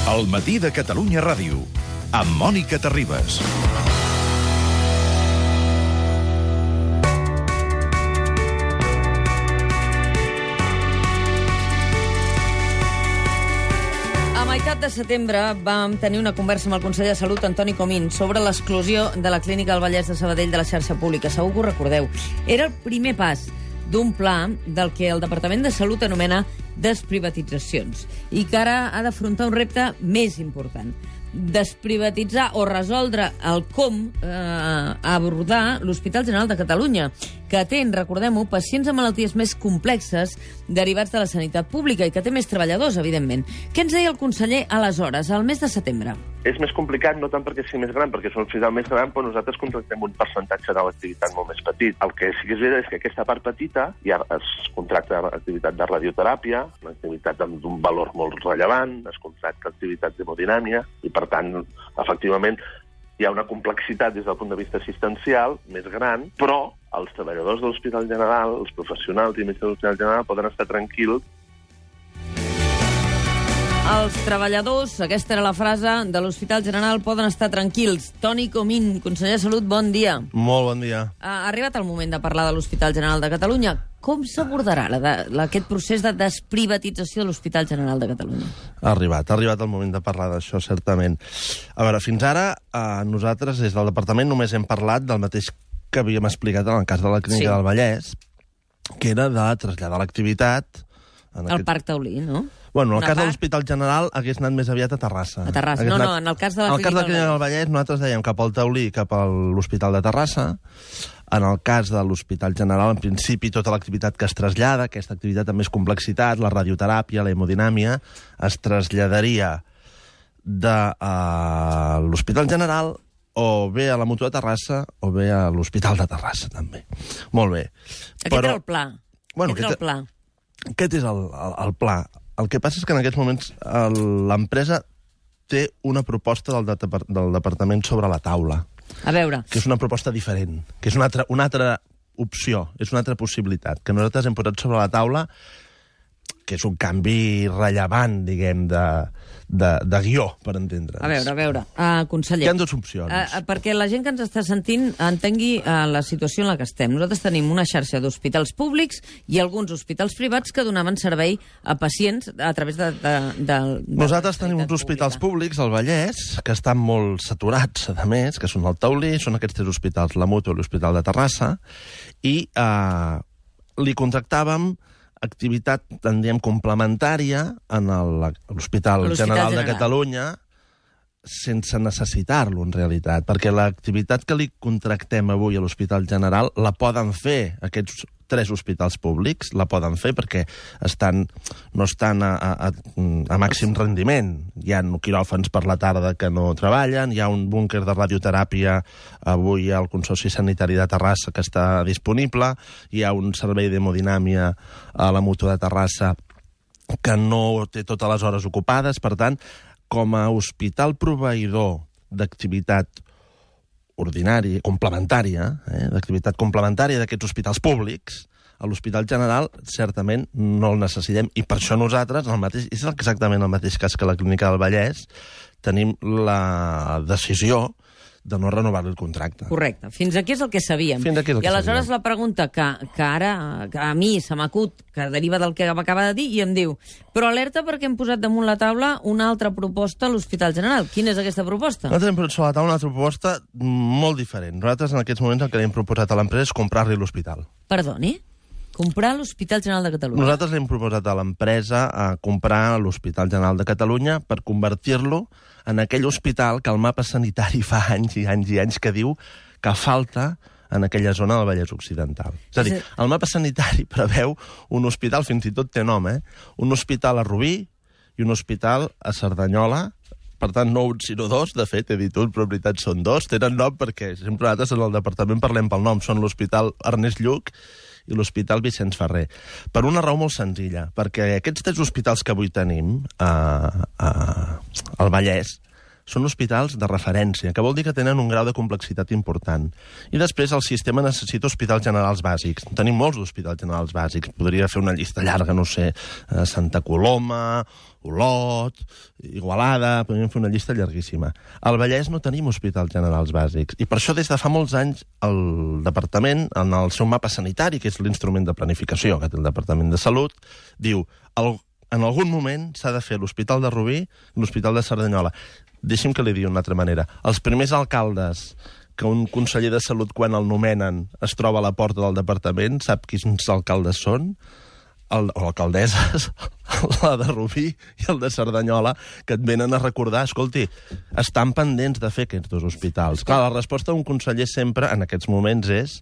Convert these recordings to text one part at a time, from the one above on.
El matí de Catalunya Ràdio, amb Mònica Terribas. A meitat de setembre vam tenir una conversa amb el conseller de Salut, Antoni Comín, sobre l'exclusió de la Clínica del Vallès de Sabadell de la xarxa pública. Segur que ho recordeu. Era el primer pas d'un pla del que el Departament de Salut anomena desprivatitzacions i que ara ha d'afrontar un repte més important: desprivatitzar o resoldre el com abordar l'Hospital General de Catalunya, que atén, recordem-ho, pacients amb malalties més complexes derivats de la sanitat pública i que té més treballadors, evidentment. Què ens deia el conseller aleshores, al mes de setembre? És més complicat, no tant perquè sigui més gran, perquè és un hospital més gran, però nosaltres contractem un percentatge de l'activitat molt més petit. El que sí que és veritat és que aquesta part petita ja es contracta activitat de radioteràpia, una activitat d'un valor molt rellevant, es contracta activitat d'hemodinàmia, i per tant, efectivament, hi ha una complexitat des del punt de vista assistencial més gran, però els treballadors de l'Hospital General, els professionals i metges de l'Hospital General poden estar tranquils. Els treballadors, aquesta era la frase, de l'Hospital General poden estar tranquils. Toni Comín, conseller de Salut, bon dia. Molt bon dia. Ha arribat el moment de parlar de l'Hospital General de Catalunya. Com s'abordarà aquest procés de desprivatització de l'Hospital General de Catalunya? Ha arribat el moment de parlar d'això, certament. A veure, fins ara, nosaltres, des del departament, només hem parlat del mateix que havíem explicat en el cas de la Clínica del Vallès, que era de traslladar l'activitat... Al Parc Taulí, no? Bueno, en el cas de l'Hospital General hagués anat més aviat a Terrassa. A Terrassa, no, en el cas de la Clínica del Vallès nosaltres dèiem cap al Taulí, cap a l'Hospital de Terrassa. En el cas de l'Hospital General, en principi, tota l'activitat que es trasllada, aquesta activitat amb més complexitat, la radioteràpia, la hemodinàmia, es traslladaria de l'Hospital General o bé a la Mútua de Terrassa o bé a l'Hospital de Terrassa, també. Molt bé. Aquest era el pla. Aquest és el pla. El que passa és que en aquests moments l'empresa té una proposta del departament sobre la taula. A veure. Que és una proposta diferent, que és una altra opció, és una altra possibilitat, que nosaltres hem posat sobre la taula, que és un canvi rellevant, diguem, de guió, per entendre. A veure, conseller. Hi ha dues opcions. Perquè la gent que ens està sentint entengui la situació en la que estem. Nosaltres tenim una xarxa d'hospitals públics i alguns hospitals privats que donaven servei a pacients a través de nosaltres tenim uns hospitals públics al Vallès que estan molt saturats, a més, que són el Taulí, són aquests tres hospitals, la Mútua i l'Hospital de Terrassa, i li contractàvem activitat, en diem, complementària en l'Hospital General de Catalunya sense necessitar-lo, en realitat, perquè l'activitat que li contractem avui a l'Hospital General la poden fer aquests tres hospitals públics, la poden fer perquè no estan a màxim rendiment. Hi ha quiròfans per la tarda que no treballen, hi ha un búnquer de radioteràpia avui al Consorci Sanitari de Terrassa que està disponible, hi ha un servei d'hemodinàmia a la Mútua de Terrassa que no té totes les hores ocupades. Per tant, com a hospital proveïdor d'activitat ordinària, complementària, d'activitat complementària d'aquests hospitals públics, a l'Hospital General certament no el necessitem, i per això nosaltres, és exactament el mateix cas que la Clínica del Vallès, tenim la decisió de no renovar el contracte. Correcte. Fins aquí és el que sabíem. I aleshores la pregunta que ara a mi se m'acut, que deriva del que m'acaba de dir, i em diu, però alerta perquè hem posat damunt la taula una altra proposta a l'Hospital General. Quina és aquesta proposta? Nosaltres hem posat sobre la taula una altra proposta molt diferent. Nosaltres en aquests moments el que hem proposat a l'empresa és comprar-li l'hospital. Perdoni? Comprar l'Hospital General de Catalunya? Nosaltres li hem proposat a l'empresa comprar l'Hospital General de Catalunya per convertir-lo en aquell hospital que el mapa sanitari fa anys i anys i anys que diu que falta en aquella zona del Vallès Occidental. És a dir, el mapa sanitari preveu un hospital, fins i tot té nom, un hospital a Rubí i un hospital a Cerdanyola. Per tant, no un, sinó dos. De fet, he dit un, però en veritat són dos. Tenen nom perquè sempre nosaltres en el departament parlem pel nom. Són l'Hospital Ernest Lluch i l'Hospital Vicenç Ferrer. Per una raó molt senzilla, perquè aquests tres hospitals que avui tenim al Vallès són hospitals de referència, que vol dir que tenen un grau de complexitat important. I després el sistema necessita hospitals generals bàsics. Tenim molts hospitals generals bàsics. Podria fer una llista llarga, no sé, Santa Coloma, Olot, Igualada, podríem fer una llista llarguíssima. Al Vallès no tenim hospitals generals bàsics. I per això des de fa molts anys el departament, en el seu mapa sanitari, que és l'instrument de planificació que té el Departament de Salut, diu en algun moment s'ha de fer l'Hospital de Rubí i l'Hospital de Cerdanyola. Deixi'm que li digui d'una altra manera. Els primers alcaldes que un conseller de Salut, quan el nomenen, es troba a la porta del departament, sap quins alcaldes són? O alcaldesses, la de Rubí i el de Cerdanyola, que et venen a recordar, escolti, estan pendents de fer aquests dos hospitals. Clar, la resposta d'un conseller sempre, en aquests moments, és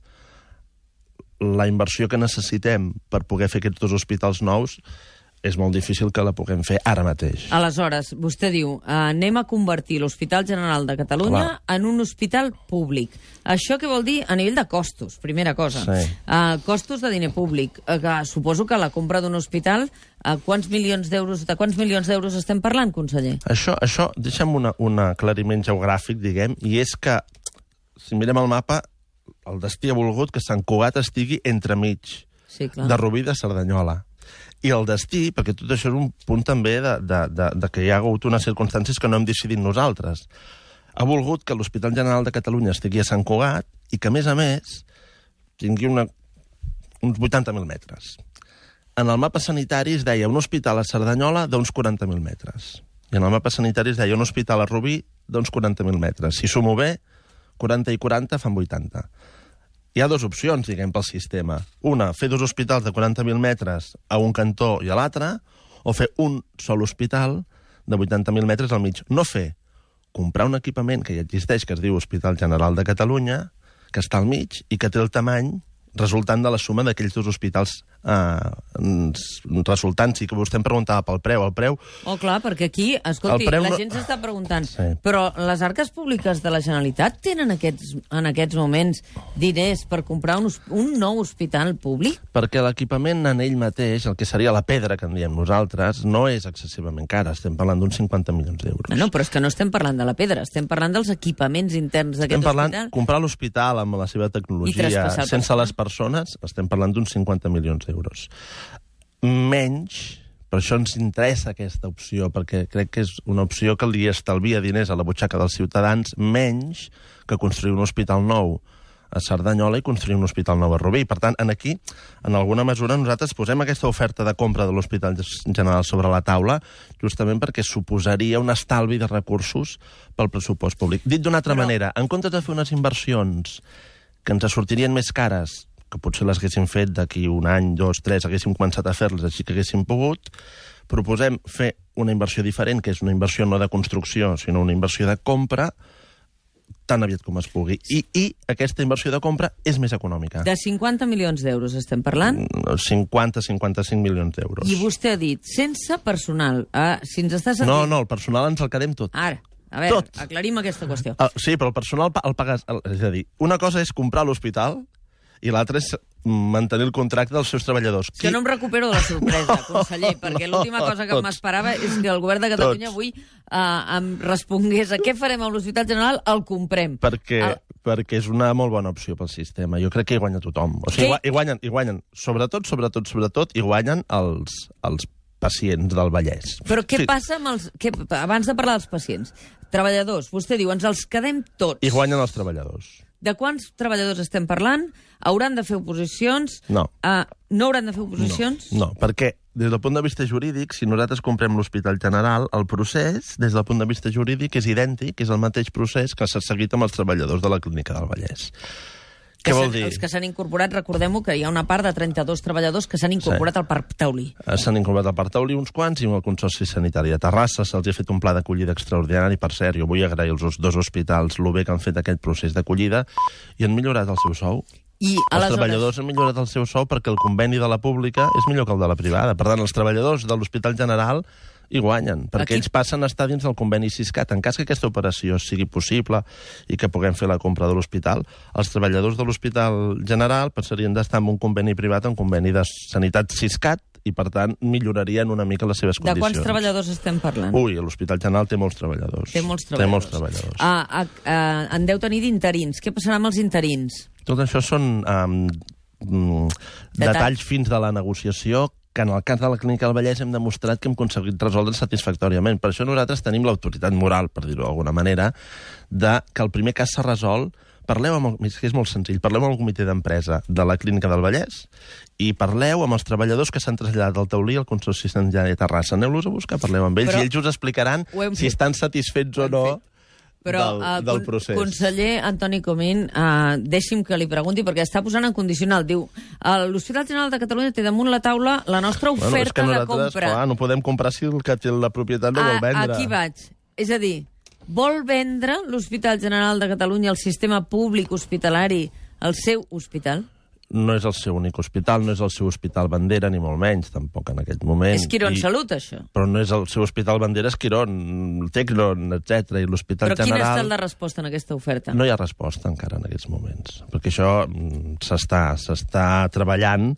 la inversió que necessitem per poder fer aquests dos hospitals nous és molt difícil que la puguem fer ara mateix. Aleshores, vostè diu, anem a convertir l'Hospital General de Catalunya en un hospital públic. Això què vol dir a nivell de costos, primera cosa? Sí. Costos de diner públic. Suposo que la compra d'un hospital, de quants milions d'euros estem parlant, conseller? Això deixa'm un aclariment geogràfic, diguem, i és que, si mirem el mapa, el destí ha volgut que Sant Cugat estigui entremig de Rubí i de Cerdanyola. I el destí, perquè tot això és un punt també de que hi ha hagut unes circumstàncies que no hem decidit nosaltres, ha volgut que l'Hospital General de Catalunya estigui a Sant Cugat i que, a més, tingui uns 80.000 metres. En el mapa sanitari es deia un hospital a Cerdanyola d'uns 40.000 metres. I en el mapa sanitari es deia un hospital a Rubí d'uns 40.000 metres. Si sumo bé, 40 i 40 fan 80. Hi ha dues opcions, diguem, pel sistema. Una, fer dos hospitals de 40.000 metres a un cantó i a l'altre, o fer un sol hospital de 80.000 metres al mig. No fer, comprar un equipament que ja existeix, que es diu Hospital General de Catalunya, que està al mig i que té el tamany resultant de la suma d'aquells dos hospitals resultants. I que vostè em preguntava pel preu. El preu... Oh, clar, perquè aquí, escolti, la gent s'està preguntant, però les arques públiques de la Generalitat tenen en aquests moments diners per comprar un nou hospital públic? Perquè l'equipament en ell mateix, el que seria la pedra que en diem nosaltres, no és excessivament cara. Estem parlant d'uns 50 milions d'euros. No, però és que no estem parlant de la pedra, estem parlant dels equipaments interns d'aquest hospital. Estem parlant comprar l'hospital amb la seva tecnologia, sense les persones, estem parlant d'uns 50 milions d'euros. Menys, per això ens interessa aquesta opció, perquè crec que és una opció que li estalvia diners a la butxaca dels ciutadans, menys que construir un hospital nou a Cerdanyola i construir un hospital nou a Rubí. Per tant, aquí, en alguna mesura, nosaltres posem aquesta oferta de compra de l'Hospital General sobre la taula justament perquè suposaria un estalvi de recursos pel pressupost públic. Dit d'una altra manera, en comptes de fer unes inversions que ens sortirien més cares, que potser les haguéssim fet d'aquí un any, 2, 3, haguéssim començat a fer-les així que haguéssim pogut, proposem fer una inversió diferent, que és una inversió no de construcció, sinó una inversió de compra, tan aviat com es pugui. I aquesta inversió de compra és més econòmica. De 50 milions d'euros estem parlant? 50-55 milions d'euros. I vostè ha dit, sense personal. Si ens està sentint... No, el personal ens el quedem tot. Ara, a veure, aclarim aquesta qüestió. Sí, però el personal el pagues... És a dir, una cosa és comprar l'hospital i l'altre és mantenir el contracte dels seus treballadors. Que no em recupero de la sorpresa, conseller, perquè l'última cosa que m'esperava és que el govern de Catalunya avui em respongués a què farem amb l'Hospital General, el comprem. Perquè és una molt bona opció pel sistema. Jo crec que hi guanya tothom. O sigui, hi guanyen, sobretot, hi guanyen els pacients del Vallès. Però què passa amb els... Abans de parlar dels pacients, treballadors, vostè diu, ens els quedem tots. Hi guanyen els treballadors. De quants treballadors estem parlant? Hauran de fer oposicions? No. No hauran de fer oposicions? No, perquè des del punt de vista jurídic, si nosaltres comprem l'Hospital General, el procés, des del punt de vista jurídic, és idèntic, és el mateix procés que s'ha seguit amb els treballadors de la Clínica del Vallès. Què vol dir? Els que s'han incorporat, recordem-ho, que hi ha una part de 32 treballadors que s'han incorporat al Parc Taulí. S'han incorporat al Parc Taulí uns quants i amb el Consorci Sanitari de Terrassa se'ls ha fet un pla d'acollida extraordinari. Per cert, jo vull agrair als dos hospitals el bé que han fet aquest procés d'acollida i han millorat el seu sou. Els treballadors han millorat el seu sou perquè el conveni de la pública és millor que el de la privada. Per tant, els treballadors de l'Hospital General hi guanyen, perquè ells passen a estar dins del conveni Siscat. En cas que aquesta operació sigui possible i que puguem fer la compra de l'hospital, els treballadors de l'Hospital General passarien d'estar en un conveni privat, en un conveni de sanitat Siscat, i, per tant, millorarien una mica les seves condicions. De quants treballadors estem parlant? Ui, l'Hospital General té molts treballadors. Té molts treballadors. En deu tenir d'interins. Què passarà amb els interins? Tot això són detalls fins de la negociació que en el cas de la Clínica del Vallès hem demostrat que hem aconseguit resoldre satisfactòriament. Per això nosaltres tenim l'autoritat moral, per dir-ho d'alguna manera, de que el primer cas s'ha resolt. Parleu amb que és molt senzill, parleu amb el comitè d'empresa de la Clínica del Vallès i parleu amb els treballadors que s'han traslladat del Taulí al Consorci Sanitari de Terrassa. Aneu-los a buscar, parleu amb ells i ells us explicaran si estan satisfets o no del procés. Conseller Antoni Comín, deixi'm que li pregunti, perquè està posant en condicional. Diu, l'Hospital General de Catalunya té damunt la taula la nostra oferta de compra. Clar, no podem comprar si el que té la propietat no vol vendre. Aquí vaig. És a dir, vol vendre l'Hospital General de Catalunya, el sistema públic hospitalari, el seu hospital? No és el seu únic hospital, no és el seu hospital bandera, ni molt menys, tampoc en aquest moment. És Quirón Salut, això. Però no és el seu hospital bandera, és Quirón, Tecnon, etc. I l'Hospital General... Però quina ha estat la resposta en aquesta oferta? No hi ha resposta encara en aquests moments, perquè això s'està treballant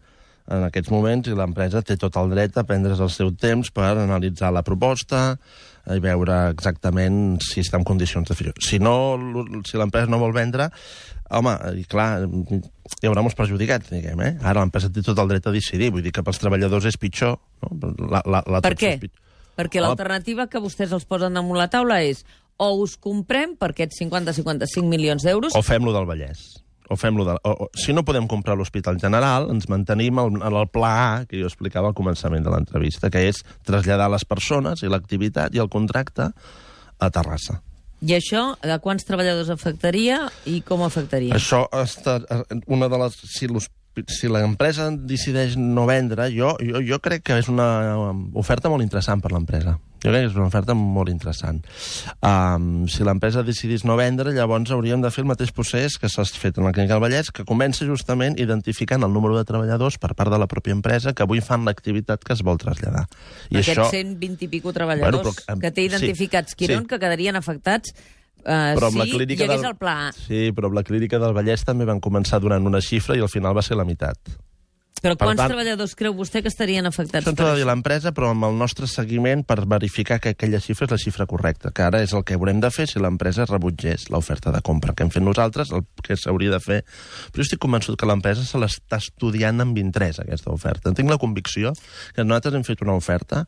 en aquests moments i l'empresa té tot el dret a prendre's el seu temps per analitzar la proposta i veure exactament si està en condicions de fer-ho. Si l'empresa no vol vendre, home, i clar, hi haurà molts perjudicats, diguem, eh? Ara l'empresa té tot el dret a decidir, vull dir que pels treballadors és pitjor. No? Per què? Perquè l'alternativa que vostès els posen damunt la taula és o us comprem per aquests 50-55 milions d'euros... O fem-lo del Vallès. Si no podem comprar l'Hospital General, ens mantenim al pla A, que jo explicava al començament de l'entrevista, que és traslladar les persones i l'activitat i el contracte a Terrassa. I això, de quants treballadors afectaria i com afectaria? Això està una de les... Si l'empresa decideix no vendre, jo crec que és una oferta molt interessant per l'empresa. Jo crec que és una oferta molt interessant. Si l'empresa decidís no vendre, llavors hauríem de fer el mateix procés que s'ha fet en la Clínica del Vallès, que comença justament identificant el número de treballadors per part de la pròpia empresa que avui fan l'activitat que es vol traslladar. Aquests 120 i pico treballadors que té identificats Quirón, que quedarien afectats si hi hagués el pla A. Sí, però amb la Clínica del Vallès també van començar donant una xifra i al final va ser la meitat. Però quants treballadors creu vostè que estarien afectats? Això ens ho ha de dir l'empresa, però amb el nostre seguiment per verificar que aquella xifra és la xifra correcta, que ara és el que haurem de fer si l'empresa rebutgés l'oferta de compra que hem fet nosaltres, el que s'hauria de fer. Però jo estic convençut que l'empresa se l'està estudiant amb interès, aquesta oferta. Tinc la convicció que nosaltres hem fet una oferta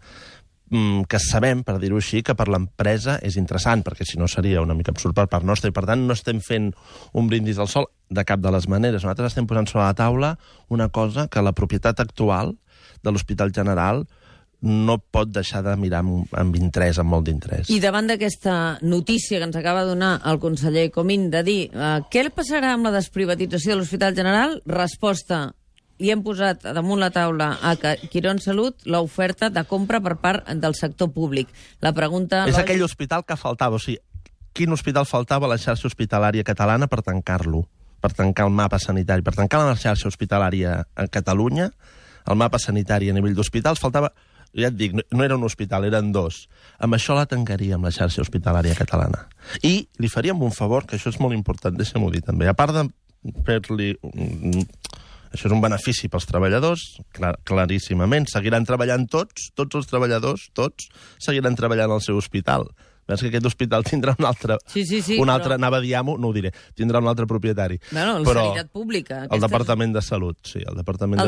que sabem, per dir-ho així, que per l'empresa és interessant, perquè si no seria una mica absurd per part nostra, i per tant no estem fent un brindis al sol de cap de les maneres. Nosaltres estem posant sobre la taula una cosa que la propietat actual de l'Hospital General no pot deixar de mirar amb interès, amb molt d'interès. I davant d'aquesta notícia que ens acaba de donar el conseller Comín de dir què passarà amb la desprivatització de l'Hospital General, resposta: li hem posat damunt la taula a Quirón Salut l'oferta de compra per part del sector públic. La pregunta... És aquell hospital que faltava, o sigui, quin hospital faltava a la xarxa hospitalària catalana per tancar-lo, per tancar el mapa sanitari, per tancar la xarxa hospitalària a Catalunya, el mapa sanitari a nivell d'hospitals, faltava... Ja et dic, no era un hospital, eren dos. Amb això la tancaríem, la xarxa hospitalària catalana. I li faríem un favor, que això és molt important, deixa'm-ho dir també, a part de fer-li... Això és un benefici pels treballadors, claríssimament. Seguiran treballant tots els treballadors, tots, seguiran treballant al seu hospital. Veus que aquest hospital tindrà un altre... Sí, altre, anava a dir-ho, no ho diré. Tindrà un altre propietari. Bueno, la sanitat pública. El Departament de Salut, sí, el Departament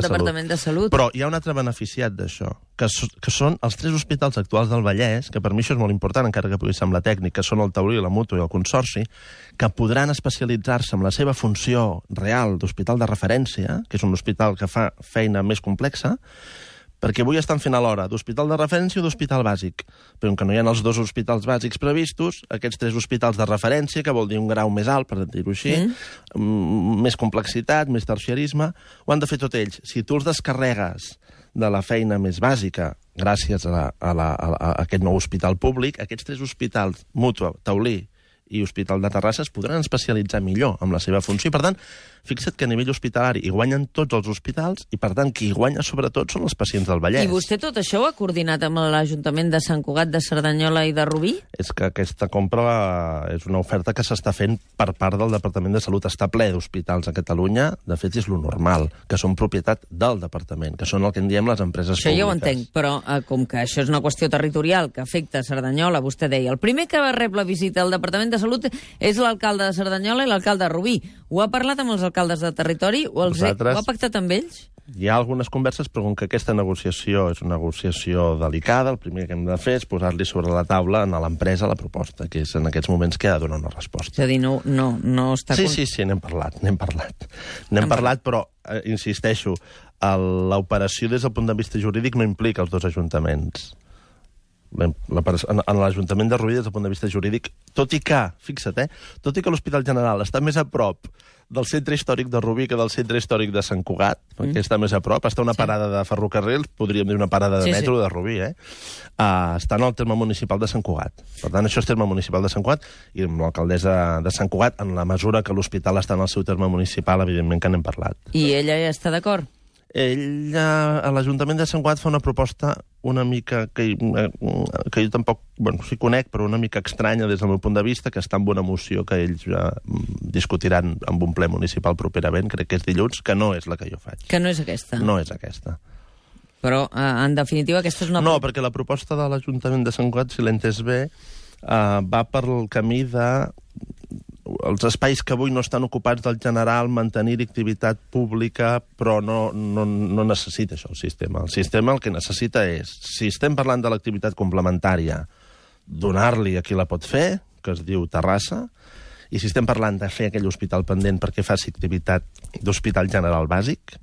de Salut. Però hi ha un altre beneficiat d'això, que són els 3 hospitals actuals del Vallès, que per mi això és molt important, encara que pugui semblar tècnic, que són el Taulí, la Mútua i el Consorci, que podran especialitzar-se en la seva funció real d'hospital de referència, que és un hospital que fa feina més complexa, perquè avui estan fent alhora d'hospital de referència o d'hospital bàsic. Però que no hi ha els 2 hospitals bàsics previstos, aquests 3 hospitals de referència, que vol dir un grau més alt, per dir-ho així, més complexitat, més terciarisme, ho han de fer tot ells. Si tu els descarregues de la feina més bàsica, gràcies a aquest nou hospital públic, aquests 3 hospitals, Mútua, Taulí i Hospital de Terrassa, es podran especialitzar millor amb la seva funció. Per tant, fixa't que a nivell hospitalari hi guanyen tots els hospitals i, per tant, qui hi guanya sobretot són els pacients del Vallès. I vostè tot això ho ha coordinat amb l'Ajuntament de Sant Cugat, de Cerdanyola i de Rubí? És que aquesta compra és una oferta que s'està fent per part del Departament de Salut. Està ple d'hospitals a Catalunya, de fet és lo normal, que són propietat del Departament, que són el que en diem les empreses públiques. Això ja ho entenc, però com que això és una qüestió territorial que afecta Cerdanyola, vostè deia, el primer que va rebre la visita al Departament de Salut és l'alcalde de Cerdanyola i l'alcalde de Rubí. Ho ha parlat amb els alcaldes de territori? Ho ha pactat amb ells? Hi ha algunes converses, però com que aquesta negociació és una negociació delicada, el primer que hem de fer és posar-li sobre la taula a l'empresa la proposta, que és en aquests moments que ha de donar una resposta. És a dir, no està... Sí, n'hem parlat. N'hem parlat, però, insisteixo, l'operació des del punt de vista jurídic no implica els dos ajuntaments. En l'Ajuntament de Rubí, des del punt de vista jurídic, tot i que, fixa't, tot i que l'Hospital General està més a prop del centre històric de Rubí que del centre històric de Sant Cugat, perquè està més a prop, està una parada de ferrocarril, podríem dir una parada de metro de Rubí, està en el terme municipal de Sant Cugat. Per tant, això és terme municipal de Sant Cugat, i amb l'alcaldessa de Sant Cugat, en la mesura que l'hospital està en el seu terme municipal, evidentment que n'hem parlat. I ella ja està d'acord? Ella, a l'Ajuntament de Sant Cugat, fa una proposta una mica que jo tampoc, sí conec, però una mica estranya des del meu punt de vista, que està en una moció que ells discutiran amb un ple municipal properament, crec que és dilluns, que no és la que jo faig. Que no és aquesta? No és aquesta. Però, en definitiva, aquesta és una... No, perquè la proposta de l'Ajuntament de Sant Cugat, si l'he entès bé, va per el camí de... els espais que avui no estan ocupats del general, mantenir activitat pública, però no necessita això el sistema. El sistema el que necessita és, si estem parlant de l'activitat complementària, donar-li a qui la pot fer, que es diu Terrassa, i si estem parlant de fer aquell hospital pendent perquè faci activitat d'hospital general bàsic,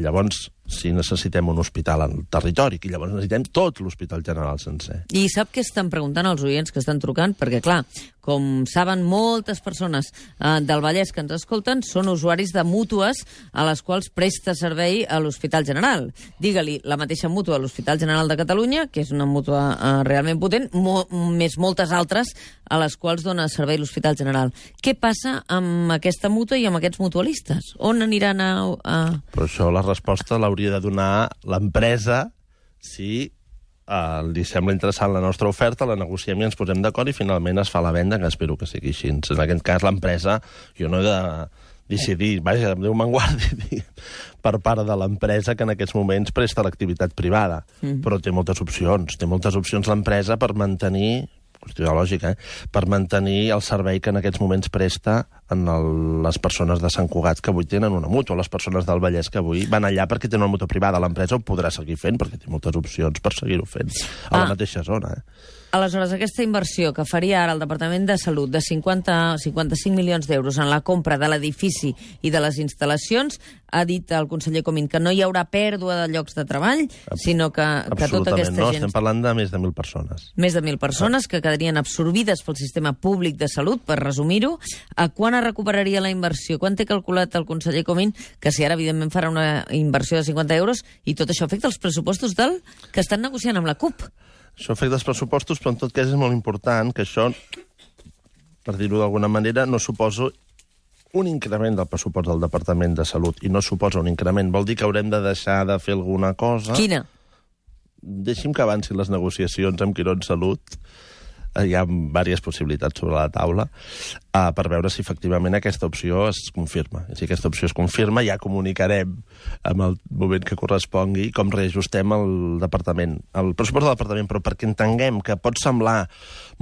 llavors si necessitem un hospital al territori, que llavors necessitem tot l'hospital general sencer. I sap què estan preguntant els oients que estan trucant? Perquè, clar, com saben moltes persones del Vallès que ens escolten, són usuaris de mútues a les quals presta servei a l'Hospital General. Digue-li la mateixa mútua a l'Hospital General de Catalunya, que és una mútua realment potent, més moltes altres a les quals dona servei l'Hospital General. Què passa amb aquesta mútua i amb aquests mutualistes? On aniran a... Però això la resposta l'hauria de donar l'empresa si li sembla interessant la nostra oferta, la negociem i ens posem d'acord i finalment es fa la venda, que espero que sigui així. En aquest cas, l'empresa, jo no he de decidir, vaja, Déu me'n guardi, per part de l'empresa que en aquests moments presta l'activitat privada. Però té moltes opcions. Té moltes opcions l'empresa per mantenir, qüestió lògica, per mantenir el servei que en aquests moments presta en les persones de Sant Cugat que avui tenen una mútua, les persones del Vallès que avui van allà perquè tenen una mútua privada. L'empresa ho podrà seguir fent perquè té moltes opcions per seguir-ho fent a la mateixa zona. Aleshores, aquesta inversió que faria ara el Departament de Salut de 55 milions d'euros en la compra de l'edifici i de les instal·lacions, ha dit el conseller Comín que no hi haurà pèrdua de llocs de treball, sinó que tota aquesta gent... No, estem parlant de més de 1.000 persones. Més de 1.000 persones que quedarien absorbides pel sistema públic de salut, per resumir-ho. Quan es recuperaria la inversió? Quan té calculat el conseller Comín que si ara, evidentment, farà una inversió de 50 euros i tot això afecta els pressupostos que estan negociant amb la CUP? Això afecta els pressupostos, però en tot cas és molt important que això, per dir-ho d'alguna manera, no suposa un increment del pressupost del Departament de Salut. I no suposa un increment. Vol dir que haurem de deixar de fer alguna cosa. Quina? Deixi'm que avancin les negociacions amb Quirón Salut. Hi ha diverses possibilitats sobre la taula per veure si efectivament aquesta opció es confirma. I si aquesta opció es confirma, ja comunicarem en el moment que correspongui com reajustem el departament, el pressupost del departament, però perquè entenguem que pot semblar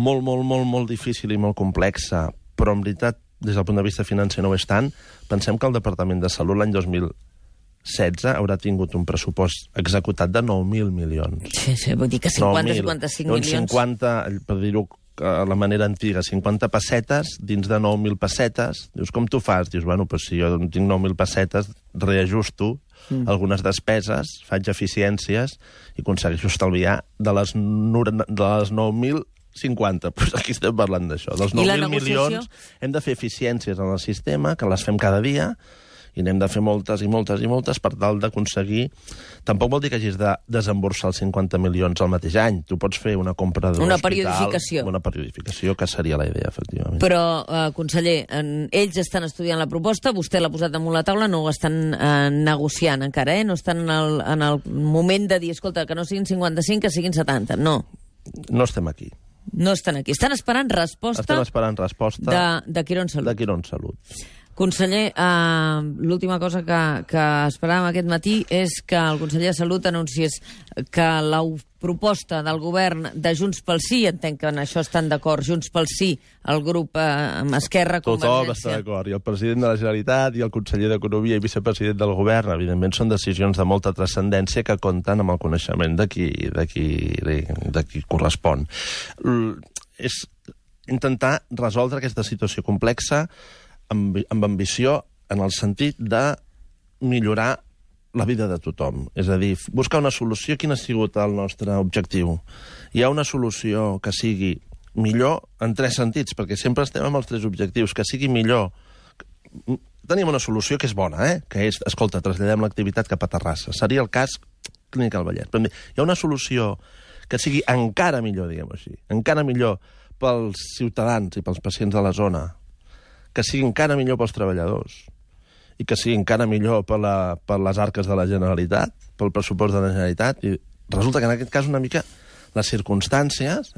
molt, molt, molt, molt difícil i molt complexa, però en veritat, des del punt de vista financer no ho és tant, pensem que el Departament de Salut l'any 2016 haurà tingut un pressupost executat de 9.000 milions. Sí, vull dir que 50-55 milions... 50, per dir-ho a la manera antiga, 50 pessetes dins de 9.000 pessetes. Dius, com tu fas? Dius, bueno, pues si jo tinc 9.000 pessetes, reajusto algunes despeses, faig eficiències i aconsegueixo estalviar de les 9.000 50, doncs aquí estem parlant d'això. Dels 9.000 milions hem de fer eficiències en el sistema, que les fem cada dia, I n'hem de fer moltes i moltes i moltes per tal d'aconseguir... Tampoc vol dir que hagis de desemborsar els 50 milions al mateix any. Tu pots fer una compra d'un hospital... periodificació. Una periodificació, que seria la idea, efectivament. Però, conseller, ells estan estudiant la proposta, vostè l'ha posat damunt la taula, no ho estan negociant encara, no estan en el moment de dir, escolta, que no siguin 55, que siguin 70, no. No estem aquí. No estan aquí. Estan esperant resposta... Estem esperant resposta... De Quirón Salut. De Quirón Salut. Conseller, l'última cosa que esperàvem aquest matí és que el conseller de Salut anunciés que la proposta del govern de Junts pel Sí, entenc que en això estan d'acord, Junts pel Sí, el grup Esquerra, Convergència... Tothom està d'acord, i el president de la Generalitat i el conseller d'Economia i vicepresident del govern, evidentment, són decisions de molta transcendència que compten amb el coneixement de qui correspon. És intentar resoldre aquesta situació complexa amb ambició en el sentit de millorar la vida de tothom. És a dir, buscar una solució. Quin ha sigut el nostre objectiu? Hi ha una solució que sigui millor en 3 sentits, perquè sempre estem amb els 3 objectius. Que sigui millor. Tenim una solució que és bona, que és, escolta, traslladem l'activitat cap a Terrassa. Seria el cas Clínica del Vallès. Però hi ha una solució que sigui encara millor, diguem-ho així, encara millor pels ciutadans i pels pacients de la zona, que sigui encara millor pels treballadors i que sigui encara millor per les arques de la Generalitat, pel pressupost de la Generalitat. I resulta que en aquest cas una mica les circumstàncies...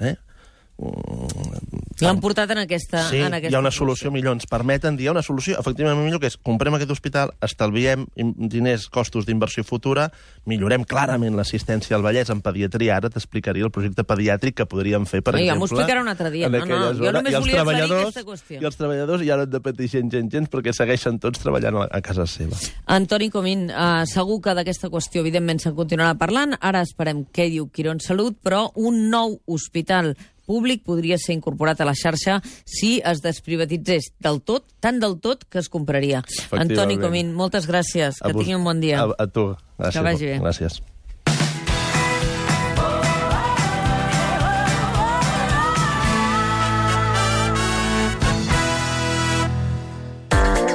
L'han portat en aquesta... Sí, hi ha una solució millor. Ens permeten dir, hi ha una solució efectivament millor, que és comprem aquest hospital, estalviem diners, costos d'inversió futura, millorem clarament l'assistència al Vallès en pediatria. Ara t'explicaria el projecte pediàtric que podríem fer, per exemple... Ja m'ho explicarà un altre dia. No, jo només volia aclarir aquesta qüestió. I els treballadors ja no han de patir gens, perquè segueixen tots treballant a casa seva. Antoni Comín, segur que d'aquesta qüestió, evidentment, se'n continuarà parlant. Ara esperem què diu Quirón Salut, però un nou hospital públic podria ser incorporat a la xarxa si es desprivatitzés del tot, tant del tot que es compraria. Antoni Comín, moltes gràcies. Que tingui un bon dia. A tu. Gràcies. Que vagi bé. Gràcies.